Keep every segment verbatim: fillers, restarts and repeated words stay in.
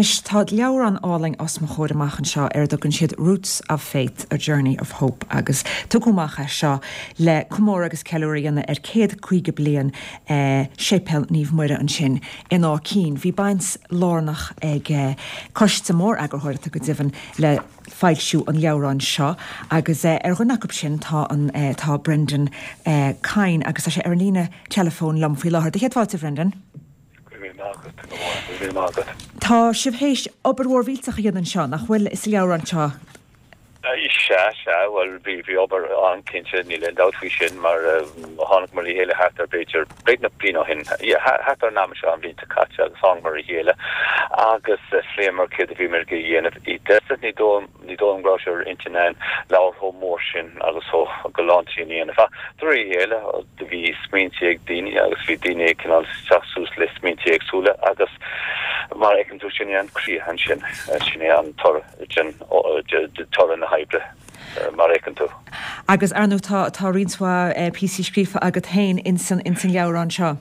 Anois tá leabhrán álainn os mo chomhair amach anseo ar a dtugann siad Roots of Faith, A Journey of Hope agus tugadh amach é seo le comóradh agus ceiliúradh a dhéanamh ar céad caoga bliain eh, Séipéal Naomh Muire ansin in Áth Cinn. Bhí baint lárnach ag eh, coiste mór eagarthóireachta go deimhin le foilsiú an leabhráin seo agus eh, ar dhuine acu sin tá an eh, tá Brendan eh, Kyne agus tá sé ar an líne teileafóin liom faoi láthair. Céad fáilte Brendan. Tá sibh théis obair mhór mhillteach a dhéanamh anseo nach bhfuil sa leabhrán seo. Sea sea bhuel bhí bhí obair an-cinnte níl aon dabht faoi sin mar tháinig le chéile thart ar b'fhéidir beagnach bliain ó shin thart ar an am seo an bhliain seo caite agus tháinig le chéile agus phléamar céard a bhí muid ag déanamh i dtosach ní ní dóigh go raibh sé ar intinn againn leabhar chomh mór sin agus chomh galánta sin a dhéanamh. De réir a chéile do bhí smaointe ag daoine agus bhí daoine cineál teacht suas le smaointe éagsúla agus mar a fheiceann tú sin é an críoch ansin sin é an toradh toradh na hoibre mar a fheiceann tú. Agus ar ndóigh tá tá roinnt mhaith píosaí scríofa agat féin insan insan leabhrán seo.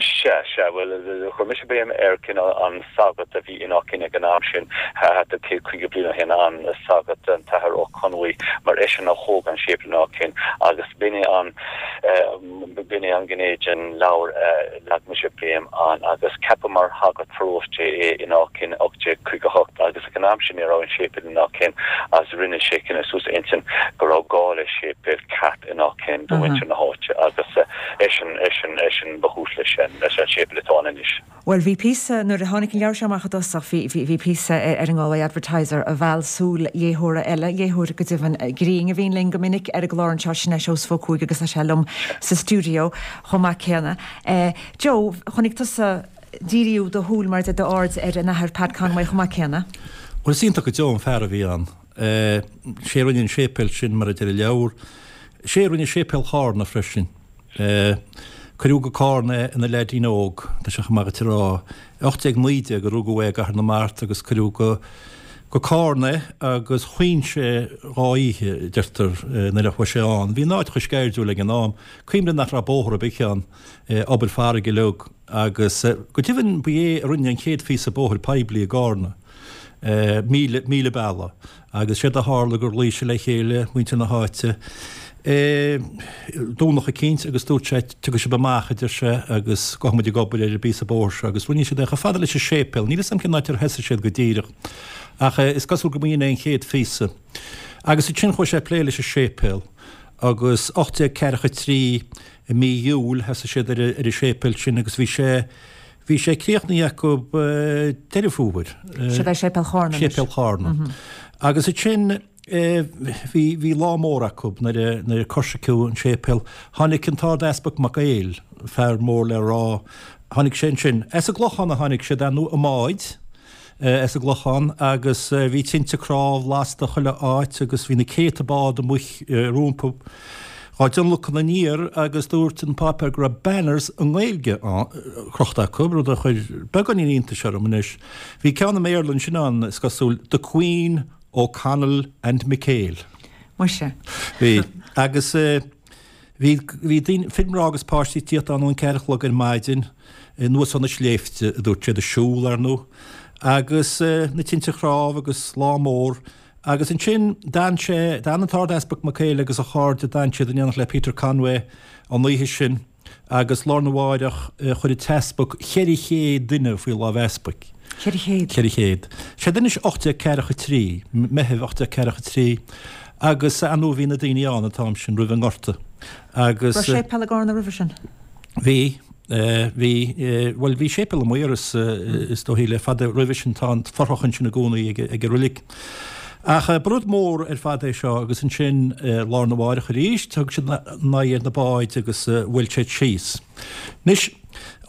Sea sea bhuel chuir mise béim ar cineál an sagart a bhí in Áth Cinn ag an am sin thart ar céad caoga bliain ó shin an sagart an tAthair Ó Conmhaí mar eisean a thóg an séipéal in Áth Cinn agus b'in é an b'in é an ghné den leabhar leag mise béim ann agus ceapadh mar shagart paróiste é in Áth Cinn ocht déag caoga hocht agus ag an am sin ní raibh an séipéal in Áth Cinn agus rinne sé cinneadh suas a intinn go raibh gá le séipéal ceart in Áth Cinn do mhuintir na háite agus eisean eisean eisean ba chúis leis sin leis an séipéal atá ann anois. Well bhí píosa nuair a tháinig an leabhar seo amach i dtosach bhí bhí píosa ar an Galway Advertiser a mheall súil léitheora eile léitheoir go deimhin grinn a bhíonn linn go minic ar an gclár anseo sin é Seosamh Ó Cuaig agus tá sé liom sa stiúideo chomh maith céanna. Eh, Joe, chonaic tusa díriú do shúil mar de d'aird ar an Athair Pat Conway chomh maith céanna. Well is iontach go deo an fear a bhí ann. Sé a rinne an séipéal sin mar a deir an leabhar. Sé a rinne séipéal Chárna freisin. Cuireadh go Cárna é ina leaidín óg, tá sé chomh maith duit a rá. ocht déag naoi déag a rugadh é i gCathair na Mart agus cuireadh go go Cárna é agus chaoin sé dhá oíche, deirtear, nuair a chuaigh sé ann. Bhí an áit chomh sceirdiúil ag an am. Cuimhnigh nach raibh bóthar ar bith ann, obair farraige uilig agus go deimhin ba é a rinne an chéad phíosa bóthair poiblí i gCárna. míle míle bealaigh agus séard a tharla gur ghlaoigh sé le chéile muintir na háite Domhnach eicínt agus dúirt sé tiocfaidh sibh amach a deir sé agus gabhfaidh muid ag obair ar an bpíosa bóthair seo agus rinne siad é chomh fada leis an séipéal. Níl 'fhios a'm cén áit ar thosaigh siad go díreach ach is cosúil go mb'in é an chéad phíosa. Agus ansin chuaigh sé ag plé leis an séipéal agus ocht déag ceathracha trí i mí Iúil thosaigh siad ar an séipéal sin agus bhí sé Bhí sé críochnaithe acu Deireadh Fómhair. Seo é Séipéal Chárna anois. Séipéal Chárna. Agus ansin bhí bhí lá mór acu nuair a nuair a coisriceadh an séipéal. Tháinig an tArd-Easpag Mac Éil, fear mór le rá, tháinig sé ansin. As an gClochán a tháinig siad, ar ndóigh, i mbáid. as an gClochán agus bhí tinte cnámh lasta chuile áit agus bhí na céadta bád amuigh rompu dhá dtionlacan aniar agus dúirt an páipéar go raibh banners i nGaeilge crochta acu, rud a chuir beagáinín iontais orm anois. Bhí ceann i mBéarla ansin ann, is cosúil, The Queen, O'Connell and McHale. Muise. Bhí. Agus. Bhí, bhí daoine, fir, mná agus páistí ag tíocht ann ón ceathair a chlog ar maidin, anuas ó na sléibhte, a dúirt siad, ag siúl, ar ndóigh, agus na tinte chnámh agus lá mór. Agus ansin d'fhan sé, d'fhan an tArd-Easpag Mac Éil agus a chairde, d'fhan siad in éineacht le Peter Conway an oíche sin agus lá arna mháireach chuir an t-easpag cheithre chéad duine faoi lámh easpaig. Ceithre chéad? Ceithre chéad. Séard anois ocht déag ceathracha trí, Meitheamh ocht déag ceathracha trí. Agus ar ndóigh bhí na daoine ann an t-am sin roimh an nGorta agus. Raibh séipéal i gCárna roimhe sin? Bhí, bhí, bhuel bhí séipéal i Maoras is dóichí le fada roimhe sin, tá an fothrach ansin i gcónaí ag an reilig. Ach ba rud mór ar fad é seo agus ansin lá arna mháireach arís thug siad a n-aghaidh ar na báid agus bhuail siad síos. Anois,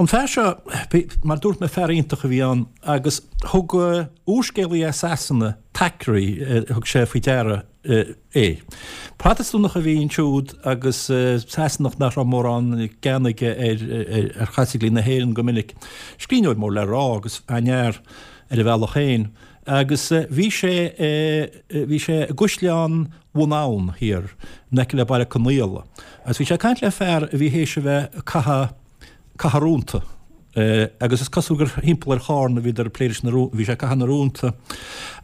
an fear seo, mar dúirt mé fear iontach a bhí ann agus thug úrscéalaí as Sasana, Thackeray, thug sé faoi deara é. Protastúnach a bhí ansiúd agus Sasanach nach raibh mórán gean aige ar Chaitlicigh na hÉireann go minic. Scríbhneoir mór le rá agus an-fhear ar a bhealach féin. Agus bhí sé, bhí sé i gCaisleán Bhun Abhann thiar in aice le Baile Conaola. Agus bhí sé ag caint le fear a bhí théis a bheith ag caitheamh, caitheamh rúnta. Agus is cosúil gur thimpeall ar Chárna a bhíodar ag plé leis na rún, bhí sé ag caitheamh na rúnta.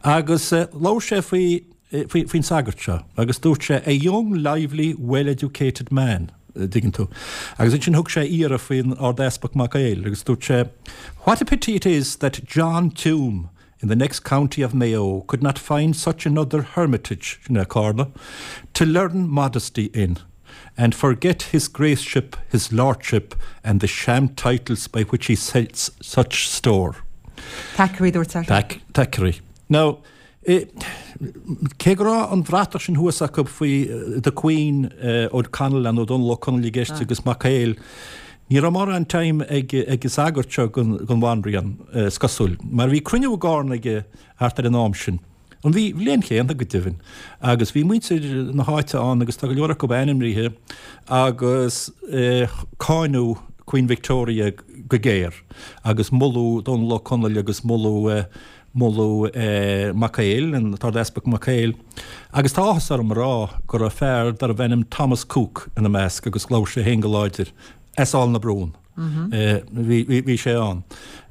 Agus labhair sé faoi, faoi, faoin sagart seo agus dúirt sé, a young, lively, well-educated man, a dtuigeann tú. Agus ansin thug sé iarraidh faoin Ard-Easpag Mac Éil agus dúirt sé, what a pity it is that John Tuam in the next county of Mayo could not find such another hermitage, sin é Carna, to learn modesty in. And forget his graceship, his lordship, and the sham titles by which he sets such store. Thackeray, dúirt sé. Thackeray. Now, cé go raibh an bhratach sin thuas acu faoi the Queen, O'Connell nó Dónal Ó Conaill i gceist agus Mac Éil, ní raibh mórán time ag an sagart seo don bhanríon, is cosúil, mar bhí cruinniú i gCarna aige thart ar an am sin. An bhí bhliain chéanna go deimhin, agus bhí muintir na háite ann agus tá go leor acu ainmnithe agus cáineadh Queen Victoria go géar agus moladh Dónal Ó Conaill agus moladh moladh Mac Éil, an tArd-Easpag Mac Éil. Agus tá áthas orm a rá go raibh fear darbh ainm Thomas Cooke ina measc agus labhair sé féin go láidir as Aill na Brún. Bhí sé ann.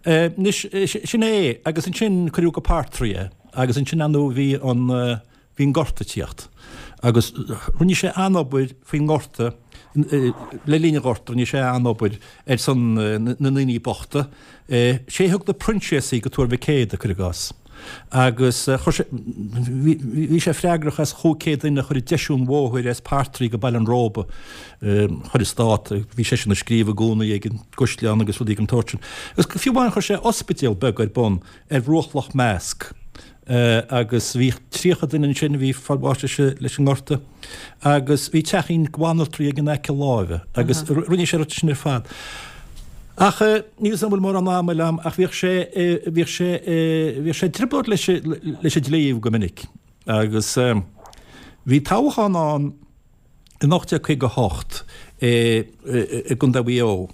Anois, sin é, agus ansin cuireadh go Partry é, agus ansin ar ndóigh bhí an, bhí an Gorta ag tíocht. Agus rinne sé an-obair faoin nGorta, le linn an Ghorta, rinne sé an-obair ar son na ndaoine bochta. Sé a thug na Proinsiasaigh go Tuar Mhic Éadaigh, cuir i gcás. Agus chuir sé, bhí sé freagrach as chúig chéad duine a chur ag deisiú an bhóthair as Partry go Baile an Róba. Chuir an stát, bhí seisean ag scríobh i gcónaí ag an gCaisleán agus rudaí den tsórt sin. Agus fiú amháin chuir sé ospidéal beag ar bun ar bhruach Loch Measc. Agus bhí tríocha duine ansin a bhí ag fáil bháis leis an ngorta. Agus bhí teachín banaltraí aige in aice láimhe agus rinne sé rud sin ar fad. Ach níl 'fhios a'm an bhfuil mórán ama eile a'm ach bhíodh sé, bhíodh sé, bhíodh sé i dtrioblóid leis, leis an dlí go minic. Agus bhí toghchán ann in ocht déag caoga a hocht i gContae Mhaigh Eo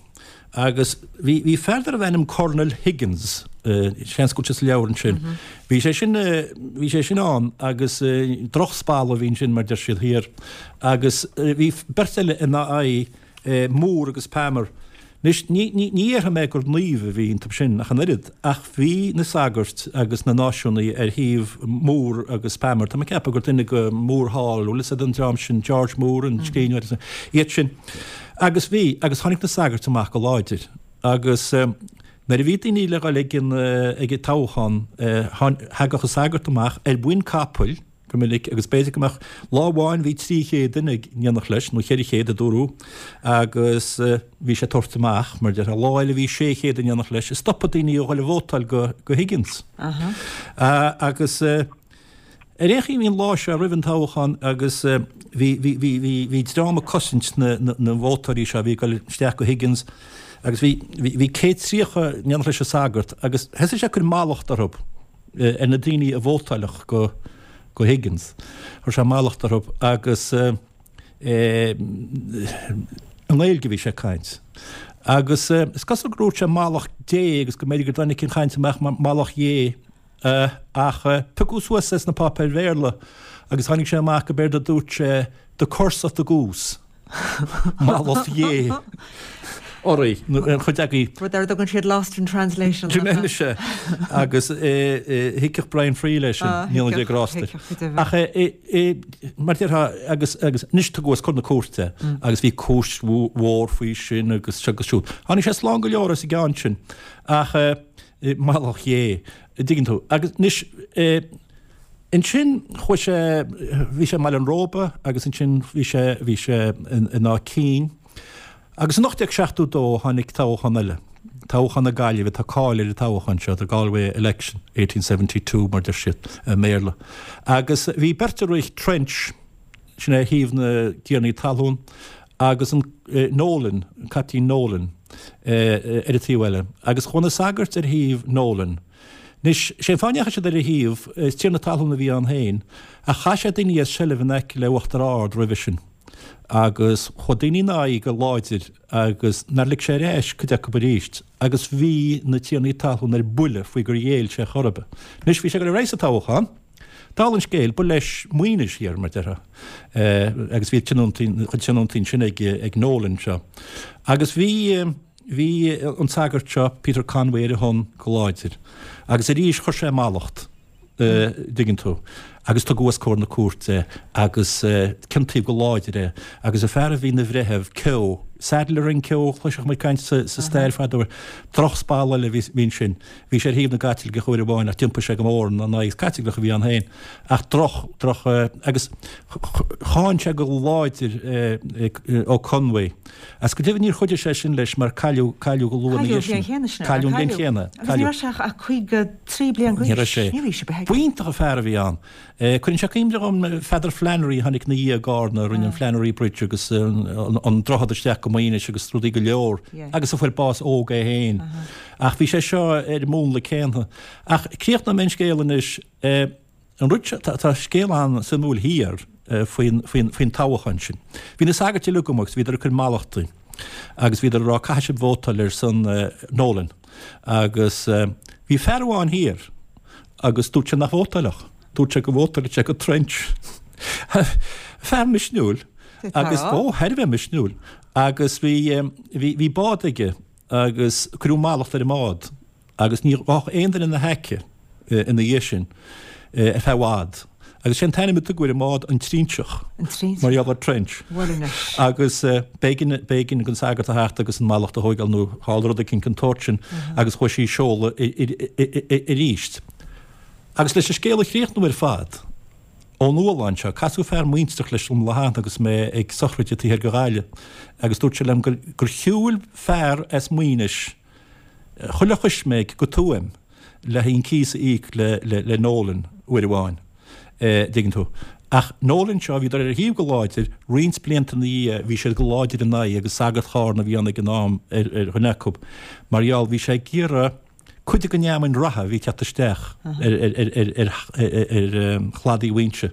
agus bhí, bhí fear darbh ainm Colonel Higgins, seans go bhfuil sé sa leabhar ansin, bhí sé sin, bhí sé sin ann agus drochspalla a bhí ansin mar deir siad thiar agus bhí beirt eile ina aghaidh, Moore agus Palmer. Anois, ní, ní, ní dhéarfaidh mé gur naoimh a bhí iontu sin ach an oiread, ach bhí na sagairt agus na náisiúnaigh ar thaobh Moore agus Palmer. Tá mé ag ceapadh gur duine de Moore Hall, bhfuil 'fhios a'd an dream sin, George Moore, an scríbhneoir, agus iad sin. Agus bhí, agus tháinig na sagairt amach go láidir. Agus nuair a bhí daoine le dhul ag an, ag an toghchán, thagadh an sagart amach ar mhuin capaill, go minic, agus b'fhéidir go mbeadh, lá amháin bhí trí chéad duine in éineacht leis, nó cheithre chéad a dúradh, agus bhí sé ag tabhairt amach, mar déarfá, lá eile bhí sé chéad in éineacht leis, ag stopadh daoine ó dhul a vótáil go, go Higgins. Agus ar aon chaoi bhí an lá seo roimh an toghchán agus bhí, bhí, bhí, bhí, bhí dream ag cosaint na, na, na vótóirí seo a bhí ag dul isteach go Higgins agus bhí, bhí, bhí céad tríocha in éineacht leis an sagart agus thosaigh sé ag cur mallacht orthu. ar na daoine a vótáilfeadh go go Higgins. Chuir sé mallacht orthu agus i nGaeilge a bhí sé ag caint. Agus is cosúil gur dhúirt sé mallacht Dé agus go mb'fhéidir go dtáinig an chaint amach mar mallacht Dhé ach piocadh suas é sna páipéir Bhéarla agus tháinig sé amach go b'éard a dúirt sé the curse of the goose. Mallacht Dhé oraibh, nó ar chuid agaibh. Rud ar a dtugann siad lost in translation. Sin é anois é. Agus thuigfeadh Brian Friel é sin, ní Dé grásta. Ach mar déarfá, agus agus anois tugadh os comhair na cúirte agus bhí cúis mhór faoi sin agus seo agus siúd. Tháinig sé slán go leor as an gceann sin. Ach mallacht Dhé, an dtuigeann tú. Agus anois, Ansin chuaigh sé, bhí sé i mBaile an Róba agus ansin bhí sé, bhí sé in Áth Cinn. Agus in ocht déag seachtó dó tháinig toghchán eile, toghchán na Gaillimhe, tá cáil ar an toghchán seo, the Galway election, eighteen seventy two mar deir siad i mBéarla. Agus bhí beirt ag rith, Trench, sin é ar thaobh na dtiarnaí talún, agus an Nolan, an Caiptín Nolan, ar an taobh eile. Agus chuaigh na sagairt ar thaobh Nolan. Anois, sé an fáth a ndeachaigh siad ar a thaobh, is tiarna talún a bhí ann féin, ach chaith sé daoine as seilbh in aice le Uachtar Ard roimhe sin, agus chuaigh daoine ina aghaidh go láidir agus nár lig sé ar ais cuid acu arís, agus bhí na tiarnaí talún ar buile faoi gur ghéill sé chor ar bith. Anois, bhí sé ag dul ar aghaidh sa toghchán, dála an scéil, ba leis Maínis thiar, mar déarfá, agus bhí tionóntaí, a chuid tionóntaí ansin ag, ag Nolan seo. Agus bhí. bhí an sagart seo, Peter Conway, ar a shon go láidir. Agus arís chuir sé mallacht, dtuigeann tú, agus tugadh os comhair na cúirte agus ciontaíodh go láidir é. Agus an fear a bhí ina bhreitheamh, Keogh, Saddler and Keogh, chloisfeadh muid caint sa stair fadó air, drochspalla eile a bhí ansin. Bhí sé ar thaobh na gCaitliceach uair amháin ach d'iompaigh sé go mór ina n-aghaidh. Is Caitliceach a bhí ann féin ach droch, droch, agus cháin sé go láidir Ó Conway. Agus go deimhin níor chuidigh sé sin leis mar cailleadh, cailleadh go luath ina dhiaidh sin. Cailleadh an bhliain chéanna. Agus ní raibh sé ach caoga trí bliain d'aois. Ní raibh sé. Ní raibh sé beag. B'iontach an fear a bhí ann. Cuireann sé cuimhne dhom Pheadar Flannery a tháinig ina dhiaidh i gCarna, a rinne an Flannery Bridge agus an droichead isteach go Maínis agus rudaí go leor agus a fuair bás óg é féin. Ach bhí sé seo ar an múnla céanna. Ach críochnóidh mé an scéal anois. An rud seo, tá scéal an-suimiúil thiar faoin, faoin, faoin toghchán sin. Bhí na sagairt uilig amuigh agus bhíodar ag cur mallachtaí agus bhíodar ag rá caithfidh sibh vótáil ar son Nolan. Agus bhí fear amháin thiar agus dúirt sé nach vótáilfeadh. Dúirt sé go vótáilfeadh sé go Trench. Fear misniúil agus, ó, thar a bheith misniúil. Agus bhí, bhí, bhí bád aige agus cuireadh mallacht ar an mbád. agus ní ghabhfadh aon duine ina haice ina dhiaidh sin ar feadh i bhfad. Agus sé an t-ainm a tugadh ar an mbád An Trinseach, mar gheall ar Trench. Agus b'éigean, b'éigean don sagart a theacht agus an mallacht a thóigeáil nó tharla rud eicínt den tsórt sin agus chuaigh sí i seoladh arís. Agus leis an scéal a chríochnú ar fad, Ó Nualláin seo, casadh fear muintreach leis liom lá cheana agus mé ag sochraid taobh thiar de Ghaillimh agus dúirt sé liom gur shiúil fear as Maínis chuile choisméig go Tuaim le haghaidh an cíos a íoc le Nolan uair amháin, dtuigeann tú. Ach Nolan seo, bhíodar ar a thaobh go láidir, roinnt blianta ina dhiaidh bhí siad go láidir ina aghaidh agus sagart Chárna a bhí ann ag an am ar dhuine acu, mar gheall, bhí sé ag iarraidh cuid den fheamainn reatha a bhí ag teacht isteach ar chladaí Mhaínse,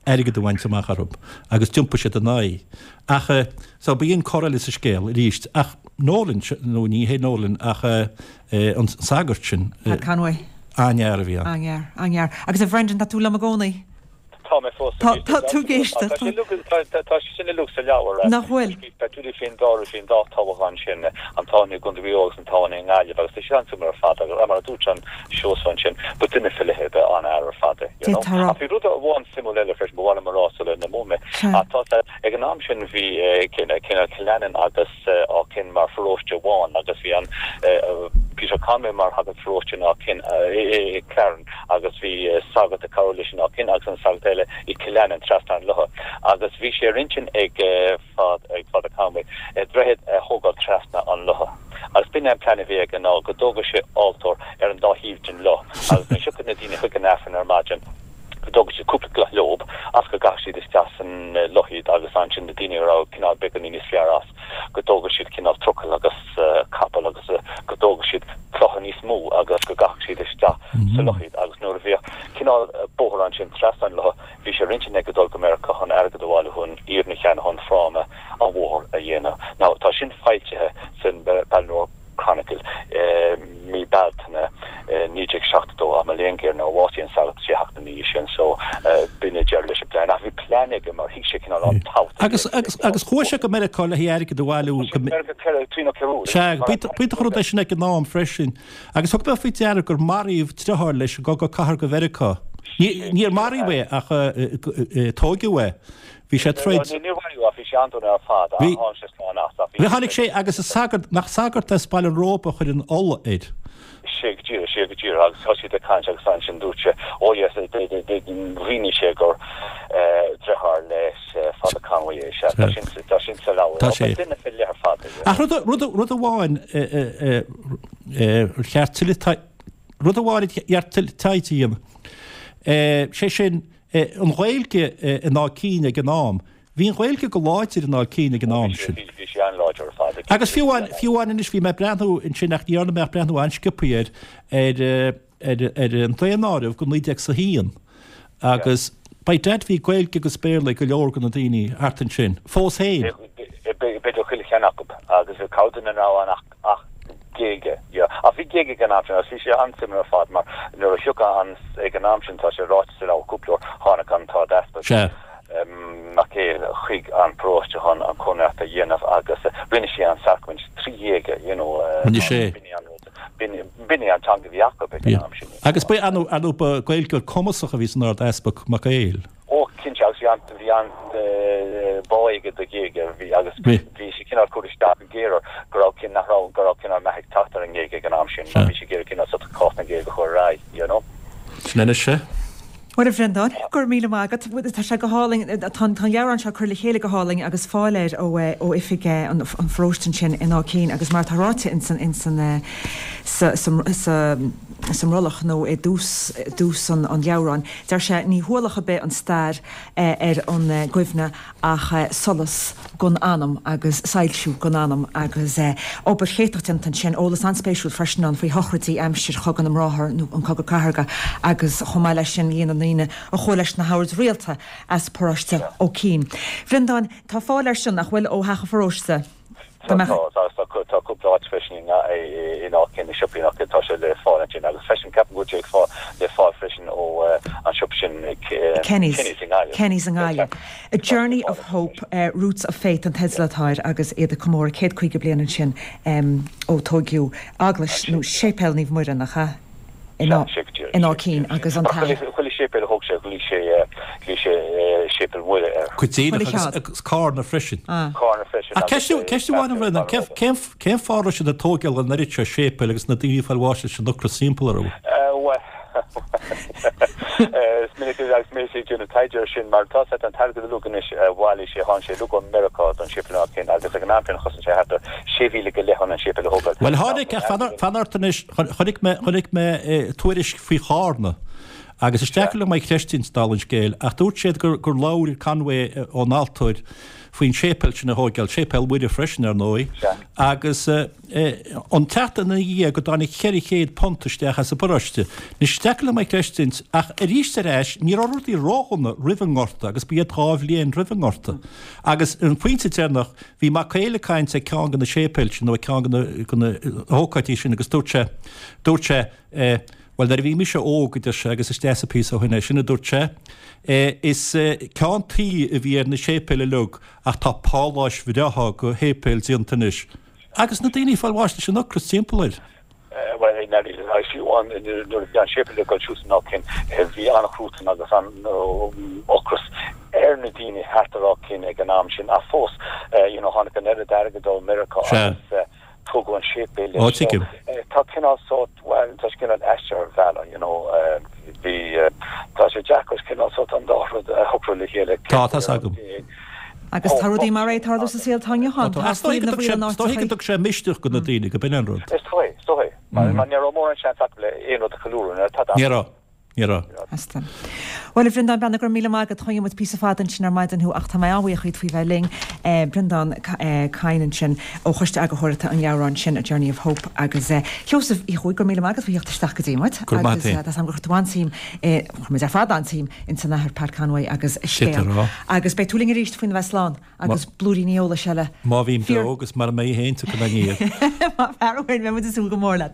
airgead a bhaint amach orthu agus d'iompaigh siad ina aghaidh. Ach, so, b'in cor eile sa scéal arís. Ach Nolan, nó ní hé Nolan ach an sagart sin. Pat Conway. An-fhear a bhí ann. An-fhear, an-fhear. Agus a Bhrendan, tá tú liom i gcónaí? Tá mé fós Tá, tá tú ag éisteacht. Tá sé uilig, tá sé sin uilig sa leabhar. Nach bhfuil? Tá tú faoin dá, faoin dá toghchán sin, an toghchán i gContae Mhaigh Eo agus an toghchán i nGaillimh agus tá sé an-suimiúil ar fad agus mar a dúirt an Seosamh ansin, ba duine faoi leith é, ba an-fhear ar fad é, you know. Ach bhí rud amháin suimiúil eile freisin ba mhaith liom a rá sula n-imeoidh mé. Ach tá sé, ag an am sin bhí cineál Cill Leannáin agus Áth Cinn mar pharóiste amháin agus bhí an Peter Conway mar shagart pharóiste in Áth Cinn, i Claran agus bhí sagart ag cabhrú leis in Áth Cinn agus an sagart eile i Cill Leannáin trasna an locha agus bhí sé ar intinn ag ag Father Conway droichead a thógáil trasna an locha agus b'in é an plean a bhí aige ná go dtógadh sé altóir ar an dá thaobh den loch agus nuair a thiocfadh na daoine chuig an Aifreann ar maidin go dtógadh siad cúpla cloch leob agus go gcaithfeadh siad isteach san loch iad agus ansin na daoine a raibh cineál beagáinín níos fearr as go dtógadh siad cineál trucail agus capall agus go dtógadh siad clocha níos mó agus go gcaithfeadh siad isteach sa loch iad agus nuair a bhíodh cineál bóthar ansin trasna an locha bhí sé ar intinn aige dul go Meiriceá chun airgead a bhailiú chun iarann a cheannach chun fráma an bhóthair a dhéanamh. Now tá sin foilsithe san Ballinrobe Chronicle i mí Bealtaine naoi déag seachtó dó ach mo léan géar nuair a bhásaigh an sagart sé seachtaine ina dhiaidh sin so b'in é deireadh leis an bplean ach bhí plean aige mar thuig sé cineál an tábhacht a bhí Agus agus agus chuaigh sé go Meiriceá le haghaidh airgead a bhailiú Chuaigh sé go Meiriceá ceithre trí nó ceithre uair Sea, b'iontach an rud é sin ag an am freisin. Agus thug mé faoi deara gur maraíodh driotháir leis i gCogadh Cathartha Mheiriceá. Níor maraíodh é ach tóigeadh é. Bhí sé ag troid. Níor maraíodh ach bhí sé an-dona ar fad ach tháinig sé slán as ach bhí Tháinig sé agus is sagart, nach sagart as Baile an Róba a chuir an ola air. Sea go díreach, sea go díreach agus thosaigh siad ag caint agus ansin dúirt sé oh yes mhínigh sé gur driotháir leis Father Conway é, sea tá sin tá sin sa leabhar. Tá sé. Ba duine faoi leith ar fad é. Ach rud rud rud amháin ar cheart tuilleadh rud amháin ar cheart tuilleadh taighde a dhéanamh, sé sin an Ghaeilge in Áth Cinn ag an am. Bhí an Ghaeilge go láidir in Áth Cinn ag an am sin. Bhí sí an-láidir ar fad. Agus fiú amháin, fiú amháin anois, bhí mé ag breathnú ansin ach ní dhearna mé ach breathnú an-sciobtha ar, ar, ar, ar an daonáireamh go naoi déag is a haon agus by dad bhí Gaeilge agus Béarla ag go leor de na daoine thart ansin, fós féin. B'fhéidir chuile cheann acu agus bhí corrdhuine a raibh ann ach, ach Gaeilge, yeah. Ach bhí Gaeilge ag an am sin agus bhí sé an-suimiúil ar fad mar nuair a thiocfadh an, ag an am sin, tá sé ráite sa leabhar cúpla uair, tháinig an tArd-Easpag Sea. Mac Éil chuig an bparóiste chun an Cónaitheacht a dhéanamh agus rinne sé an sacraimint trí trí Ghaeilge, you know. Rinne sé. B'in í an teanga a bhí acu ag an am sin. Agus ba é ar ndóigh ba Gaeilgeoir cumasach a bhí san Ard-Easpag Mac Éil. Ó cinnte agus bhí an bhí an bá aige do Ghaeilge bhí agus bhí sé cineál cur isteach go géar go raibh cin nach raibh go raibh cineál meath ag teacht ar an nGaeilge ag an am sin mar bhí sé ag iarraidh cineál sort cás na Gaeilge a chur ar aghaidh, you know. Sin anois é. Bhuel a Bhreandáin, go raibh míle maith agat. Tá sé go hálainn, tá an leabhrán seo curtha le chéile go hálainn agus fáil air ó ó oifig an pharóiste ansin in Áth Cinn agus mar atá ráite ins an ins an sa sa sa sa mbrollach nó i dtús dtús an an leabhráin, deir sé ní hualach ar bith an stair ar an gcuimhne ach solas gon anam agus soilsiú gon anam agus obair chéatach déanta ansin, eolas an-spéisiúil freisin ann faoi shochraidí aimsir Chogadh na mBráthar nó an Cogadh Cathartha agus chomh maith leis sin líon na ndaoine a chuaigh leis na hoird rialta as paróiste Ó Cinn. Bhreandáin, tá fáil air sin, nach bhfuil, ó Theach an Pharóiste? Tá, tá, tá cúpla áit freisin in Áth Cinn, i siopaí nach tá sé le fáil ansin agus freisin ceapaim go bhfuil sé le fáil freisin ó an siopa sin Kenny's i nGaillimh. Kenny's i nGaillimh. A Journey of Hope, Roots of Faith an teideal atá air agus iad ag comóradh céad caoga bliain ansin ó tóigeadh eaglais nó séipéal Naomh Muire, nach ea? In Áth Cinn agus an t-athair. Chuile séipéal a thóg sé, ghlaoigh sé, ghlaoigh sé Séipéal Mhuire air. Go díreach agus, agus Cárna freisin. Cárna freisin. Ach ceist, ceist amháin a Bhreandáin, cén, cén, cén fáth a raibh siad ag tóigeáil an oiread seo séipéil agus na daoine ag fáil bháis leis an ocras timpeall orthu? Bhuel, is minic agus mé ag déanamh taighde air sin mar tá sé an t-airgead uilig anois a bhailigh sé, tháinig sé uilig ó Meiriceá don séipéal in Áth Cinn agus ag an am sin chosain sé thart ar sé mhíle go leith chun an séipéal a thógáil. Bhuel tháinig, ach fan, fan ort anois, chonaic mé, chonaic mé tuairisc faoi Chárna agus is deacair liom é a chreidstiúint dála an scéil ach dúirt siad gur, gur labhair Conway ón altóir faoin séipéal sin a thóigeáil, Séipéal Mhuire freisin ar ndóigh, agus an tseachtain ina dhiaidh go dtáinig ceithre chéad punt isteach as an bparóiste. Anois is deacair liom é a chreidstiúint ach arís ar ais ní raibh rudaí ródhona roimh an ngorta agus ba iad dhá bhliain roimh an ngorta. Agus an pointe deireanach, bhí Mac Éil ag caint ag ceann de na séipéil sin nó ag ceann de na, de na hócáidí sin agus dúirt sé, dúirt sé, eh, bhuel nuair a bhí mise óg, a deir sé, agus is deas an píosa ó shin é sin, a dúirt sé, eh, is ceann tuí a bhí ar na séipéil uilig ach tá páláis bhreátha de shéipéil déanta anois. Agus na daoine ag fáil bháis leis an ocras timpeall air. Bhuel, i ndáiríre, agus fiú amháin nuair a bhí an séipéal ag dul suas in Áth Cinn, bhí an-chruatan agus an-ocras ar na daoine thart ar Áth Cinn ag an am sin. Ach fós, you know, tháinig an oiread airgid ó Mheiriceá agus tógadh an séipéal leis. So, tá cineál sórt, bhuel, tá sé cineál aisteach ar bhealach, you know, bhí, tá sé deacair cineál sórt an dá rud a shocrú le chéile. Tá, tá's agam. Agus tá rudaí mar é ag tarlú sa saol atá inniu ann. Tá Is dóigh go dtug sé misneach do na daoine go b'in an rud. Is dóigh, is dóigh. Mar ní raibh mórán seans acu le aon rud a cheiliúradh nuair atá Ní raibh, ní raibh. Asta. Bhuel, a Bhreandáin Breathnach, go raibh míle maith agat. Choinnigh muid píosa fada ansin ar maidin thú ach tá mé an-bhuíoch díot faoi bheith linn. Breandán Kyne ansin ó Choiste Eagarthóireachta an leabhráin sin, A Journey of Hope. Agus Sheosaimh Uí Chuaig, go raibh míle maith agat faoi theacht isteach go dtí muid. Go raibh maith agat. Agus tá 's agam gur chuir tú an-suim i, chuir muid ar fad an-suim ins an Athair Pat Conway agus a scéal. Agus beidh tú linn arís faoina bheith slán agus blúiríní eolais eile. Má bhím beo agus mara mbeidh féin tiocfaidh mé aniar. Má fear amháin, beidh muid ag súil go mór leat.